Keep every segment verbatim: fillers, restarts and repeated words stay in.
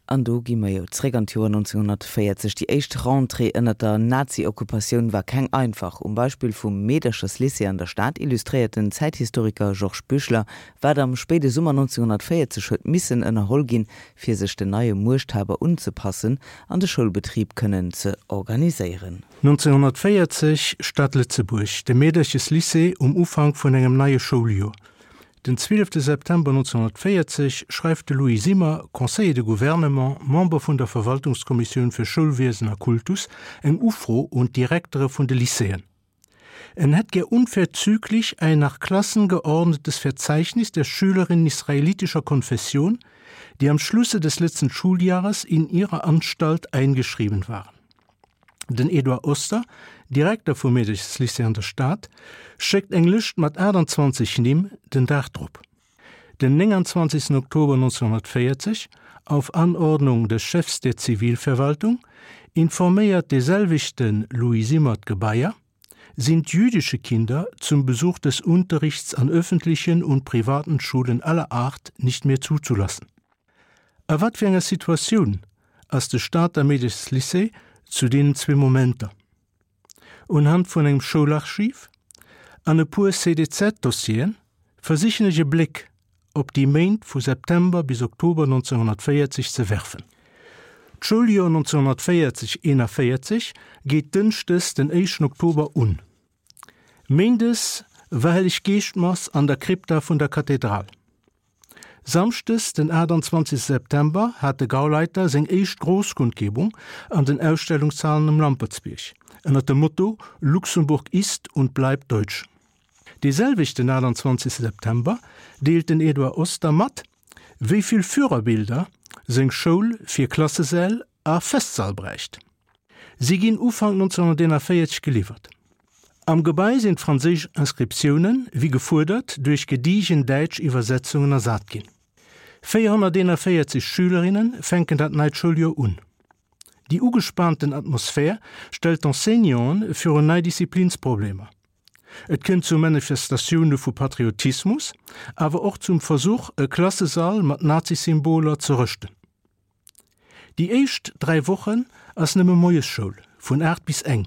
An do gi mer jo zréck an d'Joer nonzénghonnertvéierzeg. Déi éischt Rentrée ënnert der Nazi-Okkupatioun war keng einfach. Um Beispill vum Meedercherslycée an der Stad illustréiert den Zäithistoriker Georges Büchler, wat am spéide Summer nonzénghonnertvéierzeg huet missen ënnerholl ginn, fir sech den neie Muechthaber unzepassen an de Schoulbetrib kënnen ze organiséieren. Nonzénghonnertvéierzeg, Stad Lëtzebuerg, De Meedercheslycée um Ufank vun engem neie Schouljoer. Den zwielefte September nonzénghonnertvéierzeg schreift de Louis Simmer, Conseiller de Gouvernement, Member vun der Verwaltungskommissioun fir Schoulwiesen a Kultus, eng Ufro un d'Direktere vun de Lycéeën. En hätt gär unverzüglich ein nach Klassen geordnetes Verzeichnis der Schülerinnen israelitischer Konfession, die am Schlusse des letzten Schuljahres in ihrer Anstalt eingeschrieben waren. Den Edouard Oster, Direkter vum Meedercheslycée an der Stad, schéckt eng Lëscht mat aachtanzwanzeg Nimm den Dag drop. Den nénganzwanzegsten Oktober nonzénghonnertvéierzeg, auf Anordnung des Chefs der Zivilverwaltung, informéiert de selwechte Louis Simmer d'Gebaier, sind jüdische Kinder zum Besuch des Unterrichts an öffentlichen und privaten Schulen aller Art nicht mehr zuzulassen. A wat fir enger Situatioun ass de Stater Meedercheslycée zu deenen zwee Momenter? Unhand vun engem Schoularchiv an e puer C D Z-Dossieren versichen ech e Bléck op déi Méint vu September bis Oktober nonzénghonnertvéierzeg ze werfen. D'Schouljoer nonzénghonnertvéierzeg eenavéierzeg geet dënschdes den éischten Oktober un. Méindes war Helleg-Geescht-Mass an der Krypta vun der Kathedral. Samschdes den aachtanzwanzegste September hat de Gauleiter seng éischt Großkundgebung an den Ausstellungshalen um Lampertsbierg ënner dem Motto Luxemburg ist und bleibt deutsch. Dee selwechten aachtanzwanzegste September deelt den Eduard Oster mat, wéi vill Führerbilder seng Schoul fir Klassesäll a Festsäll bräicht. Si ginn Ufank nonzénghonnerteenavéierzeg geliwwert. Am Gebai sinn d'franséisch Inscriptiounen, wéi gefuerdert, duerch gediegen däitsch Iwwersetzungen ersat ginn. Véierhonnerteenavéierzeg Schülerinne fänken dat neit Schouljoer un. Déi ugespaanten Atmosphär stellt d'Enseignanten virun nei Disziplinsproblemer. Et kënnt zu Manifestatioune vu Patriotismus, awer och zum Versuch, e Klassesall mat Nazisymboler ze rëschten. Déi éischt dräi Wochen ass nëmme Moiesschoul, vun aacht bis eng.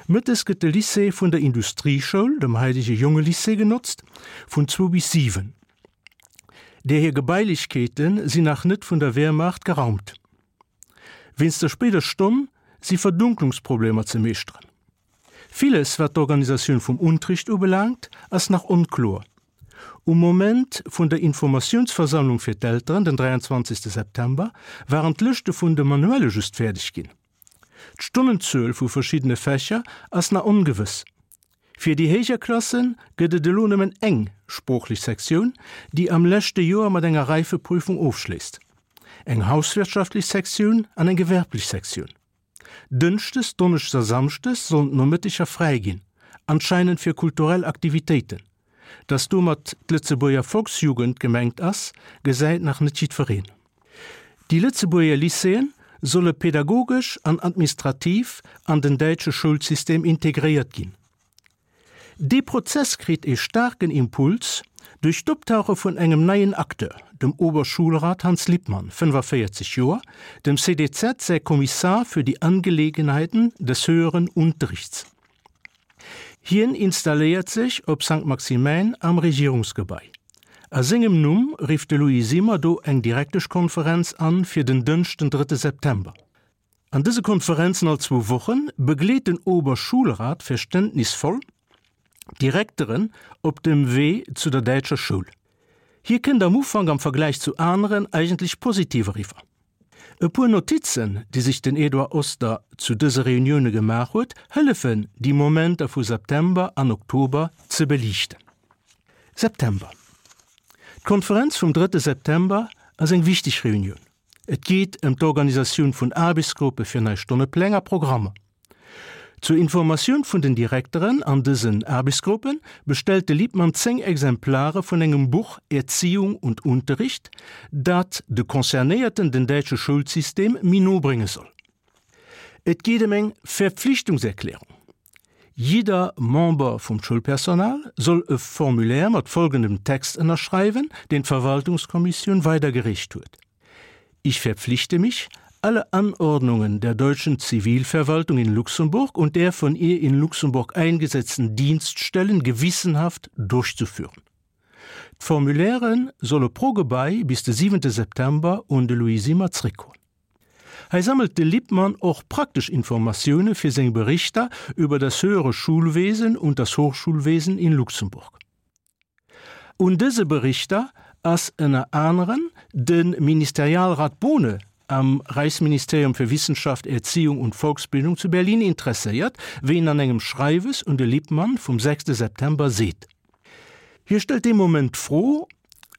Mëttes gëtt de Lycée vun der Industrieschoul, dem haitege Jongelycée, genotzt, vun zwou bis siwen. Där hir Gebailechkeete sinn nach net vun der Wehrmacht geraumt. Wéinst der spéider Stonn si Verdunklungsproblemer ze meeschteren. Villes, wat d'Organisatioun vum Unterricht ubelaangt, ass nach onkloer. Um Moment vun der Informatiounsversammlung fir d'Elteren, den dräianzwanzegste September, waren d'Lëschte vun de Manuelle just fäerdeg ginn. D'Stonnenzuel vu verschiddene Fächer ass nach ongewëss. Fir déi héijer Klasse gëtt et elo nëmmen eng sproochlech Sektioun, déi am leschte Joer mat enger Reifeprüfung ofschléisst, eng hauswirtschaftlech Sektioun an eng gewerblech Sektioun. Dënschdes, Donneschdes a Samschdes sollen d'Nomëtteger fräi ginn, anscheinend fir kulturell Aktivitéiten. Dass domat d'Lëtzebuerger Volksjugend gemengt ass, gesäit nach net jiddwereen. Déi Lëtzebuerger Lycéeë solle pedagogesch an administrativ an den däitsche Schoulsystem integréiert ginn. Dee Prozess kritt ee staarken Impuls duerch d'Optauche vun engem neien Acteur, dem Oberschulrat Hans Lippmann, fënnfavéierzeg Joer, dem C D Z säi Kommissar für die Angelegenheiten des höheren Unterrichts. Hien installéiert sech op Sankt Maximäin am Regierungsgebai. A sengem Numm rifft de Louis Simmer do eng Direkteschkonferenz an fir den Dënschden, drëtte September. An dëse Konferenzen all zwou Woche begleet den Oberschulrat verständnisvoll d'Direkteren op dem Wee zu der däitscher Schoul. Hie kënnt am Ufank am Vergläich zu aneren eigentlech positiv eriwwer. E puer Notizen, déi sech den Eduard Oster zu dëse Reunioune gemaach huet, hëllefen, déi Momenter vu September an Oktober ze beliichten. September. D'Konferenz vum drëtte September ass eng wichteg Reunioun. Et geet ëm d'Organisatioun vun Aarbechtsgruppe fir nei Stonnepläng a Programmer. Zur Informatioun vun den Direkteren an dësen Aarbechtsgruppe bestellt de Lippmann zéng Exemplare vun engem Buch Erziehung und Unterricht, dat de Concernéierten den däitsche Schoulsystem méi no brénge soll. Et geet ëm eng Verpflichtungserklärung. Jidder Member vum Schoulpersonal soll e Formulaire mat folgendem Text ënnerschreiwen, deen d'Verwaltungskommissioun weidergereecht huet. Ich verpflichte mich, alle Anordnungen der deutschen Zivilverwaltung in Luxemburg und der von ihr in Luxemburg eingesetzten Dienststellen gewissenhaft durchzuführen. D'Formulairen solle pro Gebai bis de siwente September un de Louis Simmer zréckgoen. Hei sammelt de Lippmann och praktesch Informatioune fir seng Berichter über das höhere Schulwesen und das Hochschulwesen in Luxemburg. Un dëse Berichter ass ënner aneren de Ministerialrat Bohne am Reichsministerium für Wissenschaft, Erziehung und Volksbildung zu Berlin interesséiert, wéi en an engem Schreiwes un de Lippmann vum sechste September seet. Hie stellt dee Moment d'Fro,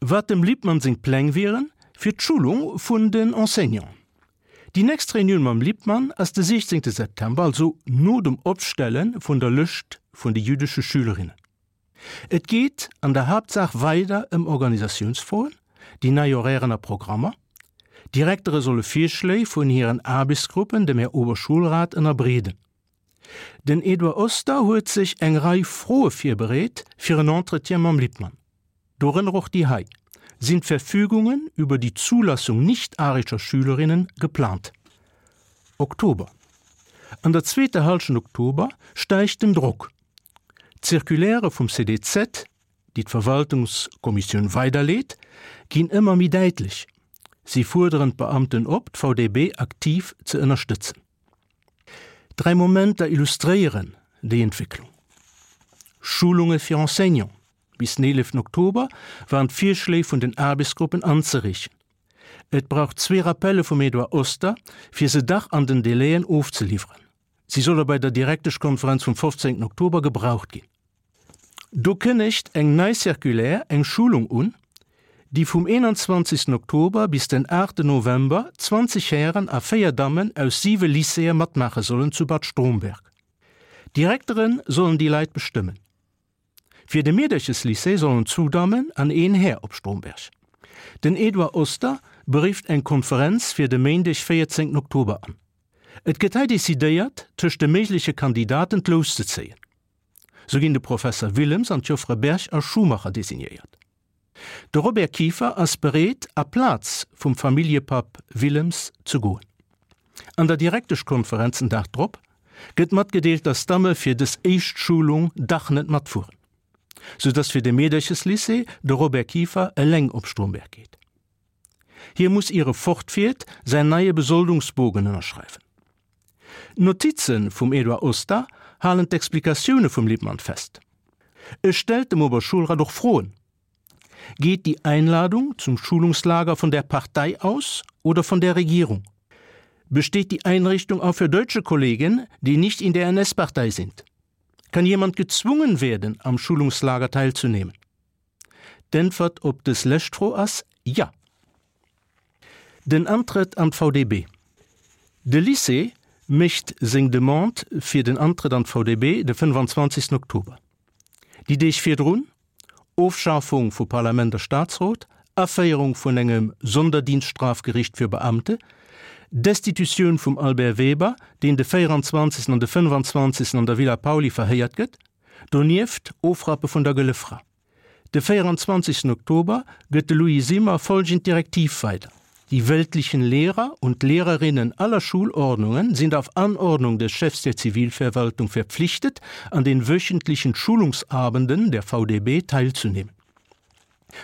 wat dem Lippmann seng Pläng wieren fir d'Schulung vun den Enseignanten. Déi nächst Reunioun mam Lippmann ass de siechzéngte September, also no dem Opstelle vun der Lëscht vun de jüdesche Schülerinnen. Et geet an der Haaptsaach weider ëm Organisatiounsfroen, déi nei Horairen a Programmer. D'Direktere solle Virschléi vun hiren Aarbechtsgruppen dem Här Oberschulrat ënnerbreeden. Den Edouard Oster huet sech eng Rei Froe virbereet fir en Entretien mam Lippmann. Dorënner och déi hei, Sind Verfügungen über die Zulassung nicht-arischer Schülerinnen geplant? Oktober An der zweeter Hallschent Oktober steigt den Drock. D'Circulairë vum C D Z, déi d'Verwaltungskommissioun weiderleet, ginn ëmmer méi däitlech. Si fuerderen d'Beamten op, d'V D B aktiv ze ënnerstëtzen. Dräi Momenter illustréieren déi Entwécklung. Schulunge fir Enseignanten, Bis den eeleften Oktober waren d'Virschléi vun den Aarbechtsgruppen anzereechen. Et brauch zwee Rappelle vum Edouard Oster, fir se dach an den Delaien ofzeliwweren. Si solle bei der Direkteschkonferenz vum fofzéngten Oktober gebraucht ginn. Do kënnegt eng nei Circulaire eng Schulung un, déi vum eenanzwanzegsten Oktober bis den aachten November zwanzeg Hären a véier Dammen aus siwe Lycéeë matmaache sollen zu Bad Stromberg. D'Direktere sollen déi Leit bestëmmen. Fir de Meedercheslycée sollen zwou Dammen an een Här op Stromberg. Den Edouard Oster berifft eng Konferenz fir de Méindeg véierzéngten Oktober an. Et gëtt hei decidéiert, tëscht de méigleche Kandidaten d'Lous ze zéien. Sou ginn de Professer Willems an d'Joffere Berg a Schumacher designéiert. De Robert Kieffer ass bereet, aplaz vum Familljepapp Willems ze goen. An der Direkteschkonferenz den Dag drop gëtt matgedeelt, dass d'Damme fir dës éischt Schulung dach net matfueren, sou dass fir de Meedercheslycée de Robert Kieffer eleng op Stromberg geet. Hie muss ier e fortfiert säin neie Besoldungsbogen ënnerschreiwen. D'Notize vum Edouard Oster halen d'Explikatioune vum Lippmann fest. E stellt dem Oberschulrat och Froen, Geht die Einladung zum Schulungslager von der Partei aus oder von der Regierung? Besteht die Einrichtung auch für deutsche Kollegen, die nicht in der N S-Partei sind? Kann jemand gezwungen werden, am Schulungslager teilzunehmen? D'Äntwert op dës lescht Fro ass ja. Den Antrëtt an d'V D B. De Lycée mécht seng Demande fir den Antrëtt an d'V D B de fënnefanzwanzegsten Oktober. Déi Deeg virdrun, Ofschafung vu Parlament a Staatsrot, Aféierung vun engem Sonderdienststrafgericht fir Beamte, Destitutioun vum Albert Weber, deen de véieranzwanzegsten an de fënnefanzwanzegsten an der Villa Pauly verhéiert gëtt, donieft Ofrappe vun der Gëlle Fra. De véieranzwanzegsten Oktober gëtt de Louis Simmer folgend Direktiv weider, Die weltlichen Lehrer und Lehrerinnen aller Schulordnungen sind auf Anordnung des Chefs der Zivilverwaltung verpflichtet, an den wöchentlichen Schulungsabenden der V D B teilzunehmen.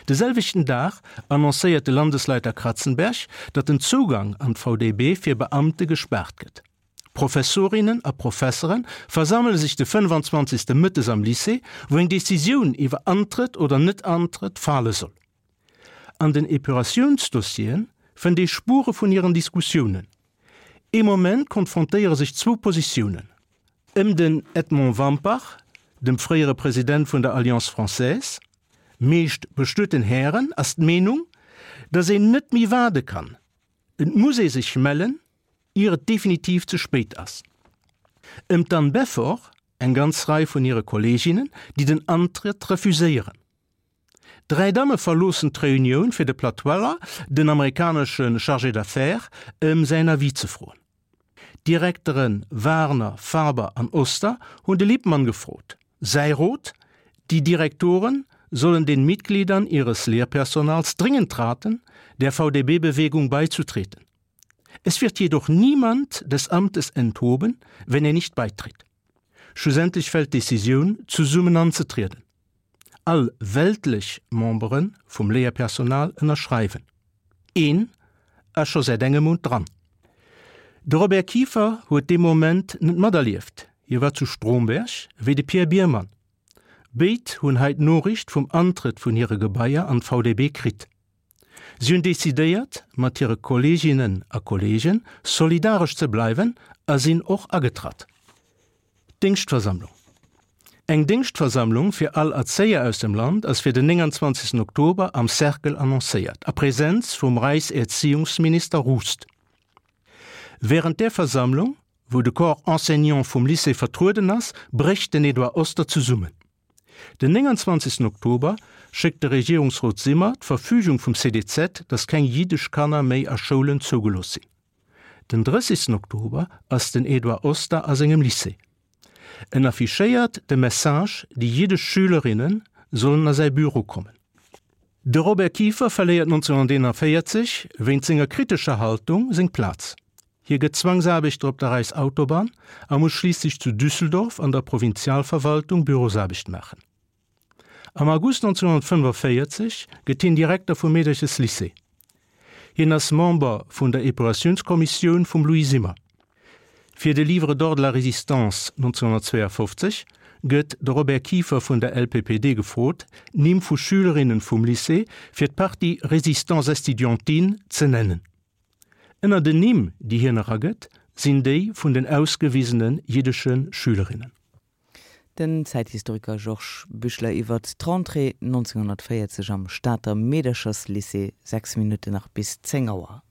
De selwechten Dag annoncéiert de Landesleiter Kratzenberg, datt den Zougang an d'V D B fir Beamte gespaart gëtt. Professorinnen a Professere versammele sech de fënnefanzwanzegste mëttes am Lycée, wou eng Decisioun iwwer Antrëtt oder Net-Antrëtt fale soll. An den Epuratiounsdossieren fënnt ee Spuere vun hiren Diskussiounen. Ee Moment konfrontéiere sech zwou Positiounen. Ëm den Edmond Wampach, dem fréiere President vun der Alliance Française, meescht bestueten Hären, ass d'Meenung, datt een net méi waarde kann. Et muss ee sech mellen, ier et definitiv ze spéit ass. Ëm d'Anne Beffort, eng ganz Rei vun hire Kolleeginnen, déi den Antrëtt refuséieren. Dräi Damme verloossen d'Reunioun fir de Platt Weller, den amerikanesche Chargé d'affaires, ëm säin Avis ze froen. D'Direktere Warner, Faber an Oster hunn de Lippmann gefrot. Säi Rot, Déi Direktore sollen den Mitgliedern ihres Lehrpersonals dringend raten, der VdB-Bewegung beizutreten. Es wird jedoch niemand des Amtes enthoben, wenn er nicht beitritt. Schlussendlich fällt d'Decisioun, zesummen anzetrieden. All weltlech Membere vum Léierpersonal ënnerschreiwen. Een ass scho säit engem Mount dran. De Robert Kieffer huet dee Moment net materlieft, hie war zu Stromberg, wéi de Pierre Biermann. Béid hunn hei d'Noriicht vum Antrëtt vun hire Gebaier an d'VdB kritt. Si hunn decidéiert, mat hire Kolleeginnen a Kolleegen solidaresch ze bleiwen a sinn och agetratt. Déngschtversammlung Eng Déngschtversammlung fir all Erzéier aus dem Land ass fir den nénganzwanzegsten Oktober am Cercle annoncéiert, a Präsenz vum Reichserziehungsminister Rust. Wärend där Versammlung, wou de Corps enseignant vum Lycée vertrueden ass, brécht den Edouard Oster zesummen. Den nénganzwanzegsten Oktober schéckt de Regierungsrot Simmer d'Verfügung vum C D Z, datt keng jiddesch Kanner méi a Schoulen zougelooss sinn. Den drëssigsten Oktober ass den Edouard Oster a sengem Lycée. En affichéiert de Message, déi jiddesch Schülerinne sollen a säi Büro kommen. De Robert Kieffer verléiert nonzénhunnerteenanvéierzeg wéinst senger kritescher Haltung seng Plaz. Hie gëtt Zwangsaarbechter op der Reichsautobahn a muss schliisslech zu Düsseldorf an der Provinzialverwaltung Bürosaarbecht maachen. Am August nonzénhunnertfënnefenvéierzeg gëtt hien Direkter vum Meedercheslycée. Hien ass Member vun der Epuratiounskommissioun vum Louis Simmer. Fir de Livre d'or de la Résistance nonzénhunnertzweeafofzeg gëtt de Robert Kieffer vun der L P P D gefrot, Nimm vu Schülerinnen vum Lycée fir d'Partie Résistance estudiantine ze nennen. Ënner den Nimm, déi hien eragëtt, sinn déi vun den ausgewisene jiddesche Schülerinnen. Den Zäithistoriker Georges Büchler iwwer d'Rentrée nonzénhunnertvéierzeg am Stater Meedercherslycée, sechs Minutten nach bis zéng Auer.